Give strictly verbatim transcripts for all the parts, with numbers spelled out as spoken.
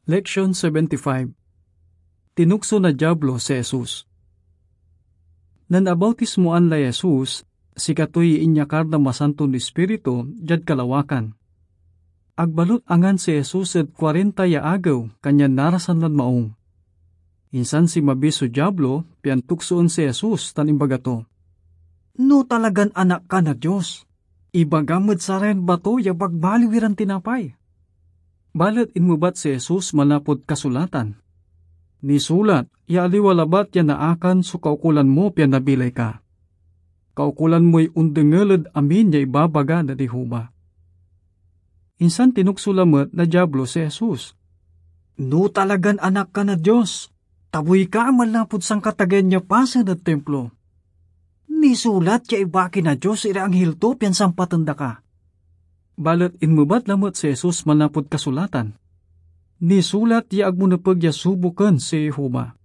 Leksion seventy-five. Tinukso na Diablo si Jesus. Nen abautismoan lay Jesus, sikatoy inyakar na Masanton Ispiritu diad kalawakan. Agbalot angan si Jesus ed kuarenta ya agew, kanyan narasan lan maung. Insan sinmabi so Diablo, pian tuksoen si Jesus tan imbaga to, "No talagan Anak ka na Dios, ibagam ed sarayan bato ya bagbaliw iran tinapay." Balet inmebat si Jesus manlapud kasulatan, "Nisulat ya aliwa labat ya naakan so kaukolan mo pian nabilay ka. Kaukolan moy ondengel ed amin ya ibabaga na Jehovah." Insan tinukso lamet na Diablo si Jesus, "No talagan Anak ka na Dios, tabuy ka manlapud sankatagean ya pasen ed Timplo. Nisulat ya ibaki na Dios iray anghil to pian sampaten da ka." Balet inmebat lamet si Jesus manlapud kasulatan, "Nisulat ya ag mo nepeg ya suboken si Jehovah."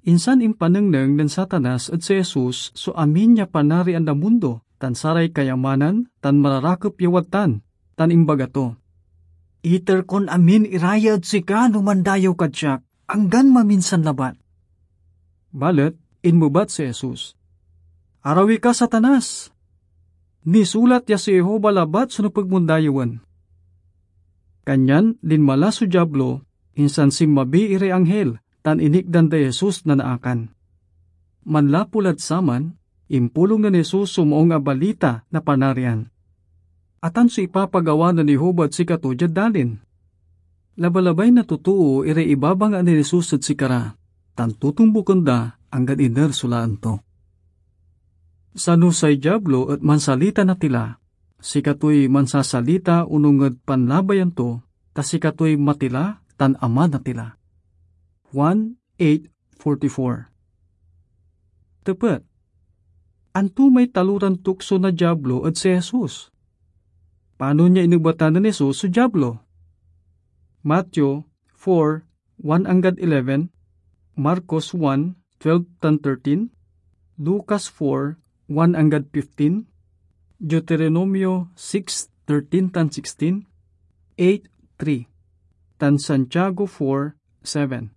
Insan impanengneng nen Satanas ed si Jesus so amin ya Panarian na mundo tan saray kayamanan tan mararakep ya wadtan, tan imbaga to, "Iter kon amin ira ya ed sika no mandayew kad siak, anggan maminsan labat." Balet inmebat si Jesus, "Arawi ka, Satanas! Nisulat ya si Jehovah labat so nepeg mon dayewen." Kanyan linma la so Diablo, insan sinmabi iray anghil, tan inikdan day Jesus na naakan. Manlapu lad saman, impulong nen Jesus so Maung a Balita na Panarian. Atan so ipapagawa nen Jehovah ed sikato diad dalin. Labalabay na totoo iray ibabanga nen Jesus ed sikara, tan totombuken da anggad iner so laen to. Sano say Diablo et mansalita na tila, sikatoy mansasalita onung ed panlabayan to, ta sikatoy matila tan ama na tila. Juan eight forty-four. Tepet, anto may taloran tukso na Diablo ed si Jesus? Panon ya inebatan nen Jesus so Diablo? Mateo four, one anggad eleven, Marcos one, twelve tan thirteen, Lucas four, one anggad fifteen, Deuteronomio six, thirteen tan sixteen, eight, three, tan Santiago four, seven.